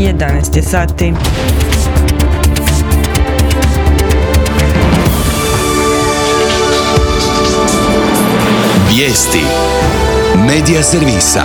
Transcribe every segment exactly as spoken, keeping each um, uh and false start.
jedanaest je sati. Vijesti Medija servisa.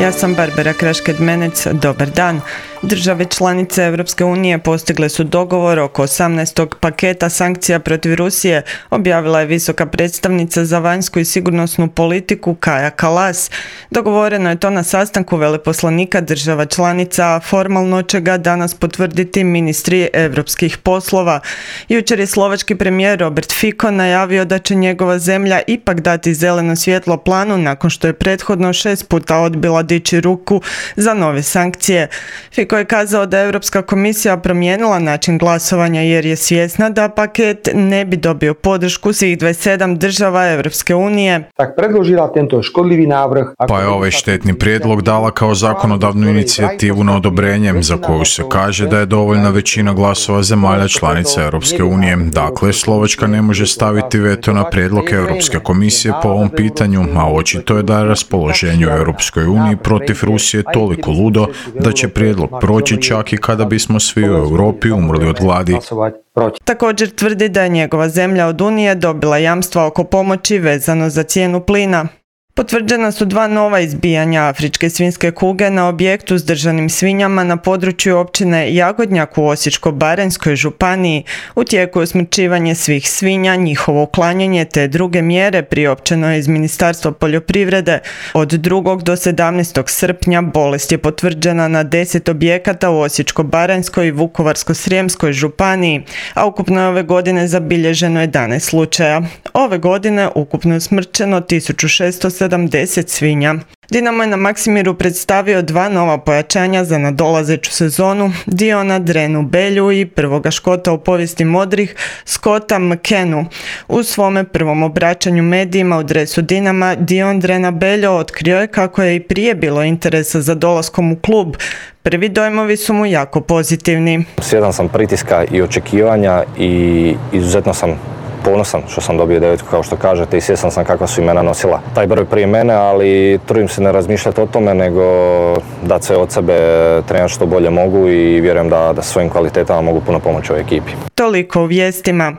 Ja sam Barbara Krašked-Menec, dobar dan. Države članice Europske unije postigle su dogovor oko osamnaestog paketa sankcija protiv Rusije, objavila je visoka predstavnica za vanjsku i sigurnosnu politiku Kaja Kallas. Dogovoreno je to na sastanku veleposlanika država članica, a formalno će ga danas potvrditi ministri europskih poslova. Jučer je slovački premijer Robert Fico najavio da će njegova zemlja ipak dati zeleno svjetlo planu nakon što je prethodno šest puta odbila dići ruku za nove sankcije. Fico je kazao da je Europska komisija promijenila način glasovanja jer je svjesna da paket ne bi dobio podršku svih dvadeset sedam država Europske unije. Pa je ovaj štetni prijedlog dala kao zakonodavnu inicijativu na odobrenje za koju se kaže da je dovoljna većina glasova zemalja članica Europske unije. Dakle, Slovačka ne može staviti veto na prijedlog Europske komisije po ovom pitanju, a očito je da je raspoloženje u Europskoj uniji protiv Rusije toliko ludo da će prijedlog proći čak i kada bismo svi u Europi umrli od gladi. Također tvrdi da je njegova zemlja od Unije dobila jamstva oko pomoći vezano za cijenu plina. Potvrđena su dva nova izbijanja afričke svinjske kuge na objektu s držanim svinjama na području općine Jagodnjak u Osječko-baranjskoj županiji. U tijeku je usmrćivanje svih svinja, njihovo uklanjanje te druge mjere priopćeno je iz Ministarstva poljoprivrede. Od drugog do sedamnaestog srpnja bolest je potvrđena na deset objekata u Osječko-baranjskoj i Vukovarsko-srijemskoj županiji, a ukupno je ove godine zabilježeno jedanaest slučaja. Ove godine ukupno je usmrćeno tisuću šesto sedamdeset svinja. Dinamo je na Maksimiru predstavio dva nova pojačanja za nadolazeću sezonu, Diona Drenu Belju i prvoga Škota u povijesti modrih, Scotta McKennu. U svome prvom obraćanju medijima u dresu Dinama, Dion Drena Beljo otkrio je kako je i prije bilo interesa za dolaskom u klub. Prvi dojmovi su mu jako pozitivni. Svjedan sam pritiska i očekivanja i izuzetno sam ponosan što sam dobio devetku, kao što kažete, i svjestan sam kakva su imena nosila taj broj prije mene, ali trudim se ne razmišljati o tome, nego dati sve od sebe, trenirati što bolje mogu i vjerujem da, da svojim kvalitetama mogu puno pomoći ovoj ekipi. Toliko u vijestima.